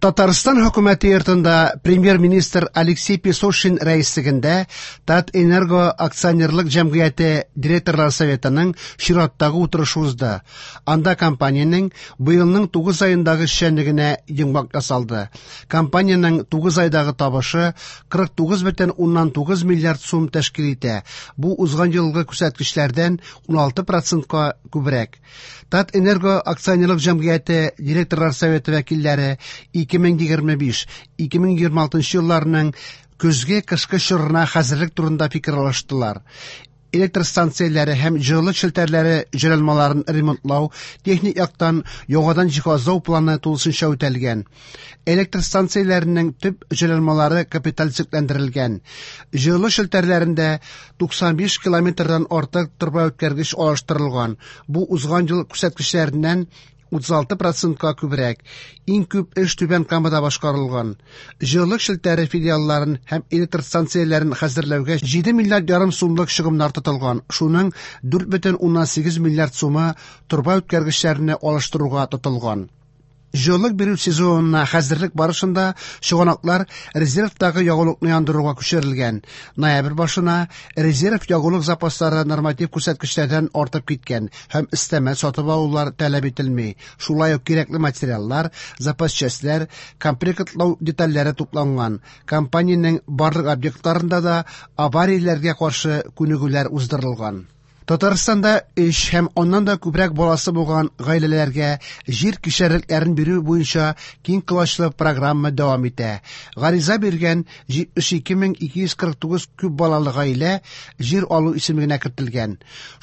Татарстан хөкүмәте йортында премьер-министр Алексей Песошин рәислегендә Татэнерго акционерлык җәмгыяте директорлар советының чираттагы утырышы узды. Анда компаниянең быелның 9 аендагы эшчәнлегенә йомгак ясалды. Компаниянең 9 айдагы табышы 49,9 миллиард сум тәшкил итә. Бу узган елгы күрсәткечләрдән 16 процентка күбрәк. Татэнерго акционерлык җәмгыяте директорлар советы вәкилләре 2025-2026 елларның көзге-кышкы чорына хәзерлек турында фикер алыштылар. Электр станцияләре һәм җылылык челтәрләре җайланмаларын ремонтлау, техник яктан яңадан җиһазлау планы тулысынча үтәлгән. Электр станцияләренең төп җайланмалары капиталь төзекләндерелгән. Җылылык челтәрләрендә 95 километрдан артык торбаүткәргеч алыштырылган. Бу узган ел күрсәткечләреннән 36 процентка күбрәк. Иң күп эш Түбән Камада башкарылган. Җылылык челтәре филиалларын һәм электр станцияләрен хәзерләүгә 7 миллиард ярым сумлык чыгымнар тотылган. Шуның 4,8 миллиард сумы торба үткәргечләрне алыштыруга тотылган. Җылылык бирү сезонына хәзерлек барышында чыганаклар резервтагы ягулыкны яндыруга күчерелгән. Ноябрь башына резерв ягулык запаслары норматив күрсәткечләрдән артып киткән һәм өстәмә сатып алулар таләп ителми. Шулай ук кирәкле материаллар, запас частьләр, комплектлау детальләре тупланган. Компаниянең барлык объектларында да аварияләргә каршы күнегүләр уздырылган. Татарстанда өч һәм аннан да күбрәк баласы булган гаиләләргә җир кишәрлекләрен бирү буенча киң колачлы программа дәвам итә. Гариза биргән 72249 күп балалы гаилә җир алу исемлегенә кертелгән.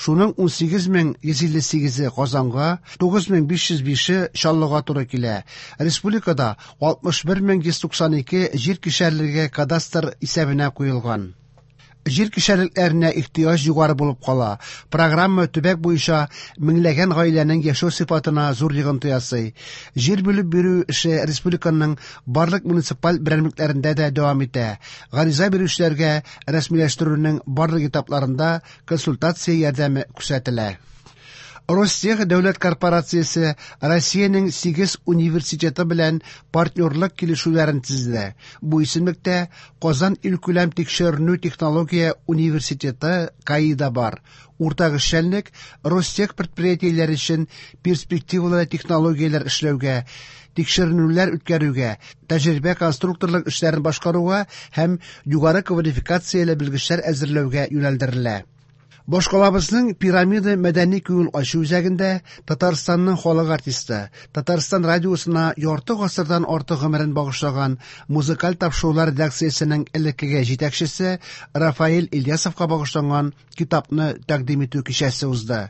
Шуның 18158-е Казанга, 9505-е Чаллыга туры килә. Республикада 61192 җир кишәрлеге кадастр исәбенә куелган. Җир кишәрлекләренә ихтыяҗ югары булып кала. Программа төбәк буенча меңләгән гаиләнең яшәү сыйфатына зур йогынты ясый. Җир бүлеп бирү эше республиканың барлык муниципаль берәмлекләрендә дә дәвам итә. Гариза бирүчеләргә рәсмиләштерүнең барлык этапларында консультация ярдәме күрсәтелә. Ростех дәүләт корпорациясе Россиянең 8 университеты белән партнерлык килешүләрен төзеде. Бу исемлектә Казан илкүләм тикшеренү технология университеты КАИ да бар. Уртак эшчәнлек Ростех предприятиеләре өчен перспективалы технологияләр эшләүгә, тикшеренүләр үткәрүгә, тәҗрибә конструкторлык эшләрен башкаруга һәм югары квалификацияле белгечләр әзерләүгә юнәлдерелә. Башкалабызның Пирамида мәдәни күңел ачу үзәгендә Татарстанның халык артисты, Татарстан радиосына ярты гасырдан артык гомерен багышлаган музыкаль тапшырулар редакциясенең элеккеге җитәкчесе Рафаэль Ильясовка багышланган китапны тәкъдим итү кичәсе узды.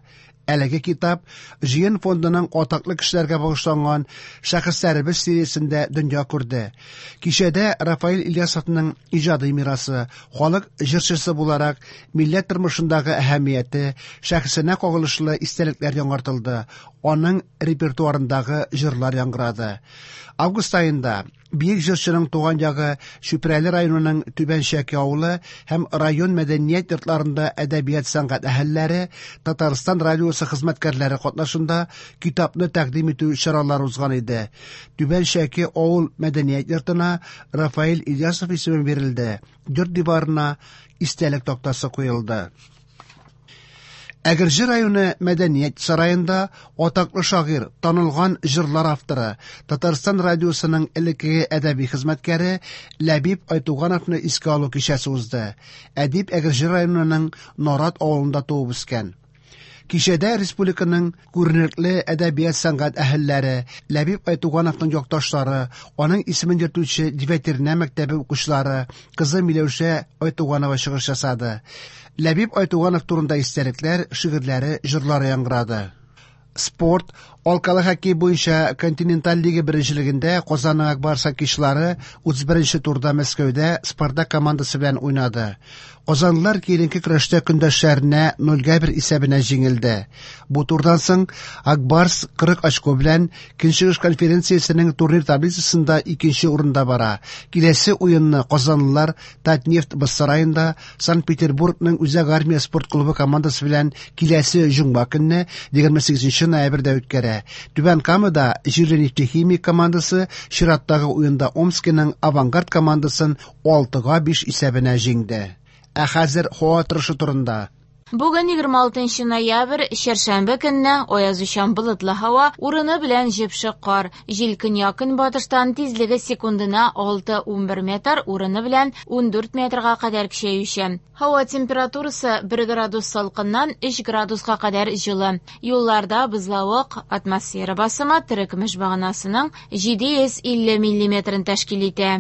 Әлеге китап Җыен фондының атаклы кешеләргә багышланган Шәхесләребез сериясендә дөнья күрде. Кичәдә Рафаэль Ильясовның иҗади мирасы, халык җырчысы буларак милләт тормышындагы әһәмияте, шәхесенә кагылышлы истәлекләр яңартылды, аның репертуарындагы җырлар яңгырады. Август аенда бөек җырчының туган ягы Чүпрәле районының Түбән Чәке авылы һәм район мәдәният йортларында әдәбият сәнгать әһелләре, Татарстан радиосы хезмәткәрләре катнашында китапны тәкъдим итү чаралары узган иде. Түбән Чәке авыл мәдәният йортына Рафаэль Ильясов исеме бирелде. Йорт диварына истәлек тактасы куелды. Әгерҗе районы мәдәният сараенда атаклы шагыйрь, танылган җырлар авторы, Татарстан радиосының элеккеге әдәби хезмәткәре Ләбиб Айтугановны искә алу кичәсе узды. Әдип Әгерҗе районының Нарат авылында туып үскән. Кичәдә республиканың күренекле әдәбият сәнгать әһелләре, Ләбиб Айтугановның якташлары, аның исемен йөртүче Девятернә мәктәбе укучылары, кызы Миләүшә Айтуганова чыгыш ясады. Ләбиб Айтуганов турында истәлекләр, шигырьләре, җырлары яңгырады. Спорт, алкалы хоккей буенча континенталь лига беренчелегендә Казанның Ак Барс хоккейчылары 31 турда Мәскәүдә Спартак командасы белән уйнады. Казанлылар киеренке көрәштә көндәшләренә 0-1 исәбенә җиңелде. Бу турдан соң Ак Барс 40 очко белән Көнчыгыш конференциясенең турнир таблицасында икенче урында бара. Киләсе уенны казанлылар Татнефть боз сараенда Санкт-Петербургның Үзәк армия спорт клубы командасы белән киләсе җомга көнне 28 ноябрьдә үткәрә. итә. Түбән Камада җирле Нефтехимик командасы чираттагы уенда Омскиның Авангард командасын 6-5 исәбенә җиңде. Ә хәзер һава торышы турында. Бүген 26 ноябрь, чәршәмбе көнне аязучан болытлы һава, урыны белән җепшек кар. Җил көньяк-көнбатыштан тизлеге секундына 6-11 метр, урыны белән 14 метрга кадәр көчәючән. Һава температурасы 1 градус салкыннан 3 градуска кадәр җылы. Юлларда бозлавык, атмосфера басымы терекөмеш баганасының 750 миллиметрын тәшкил итә.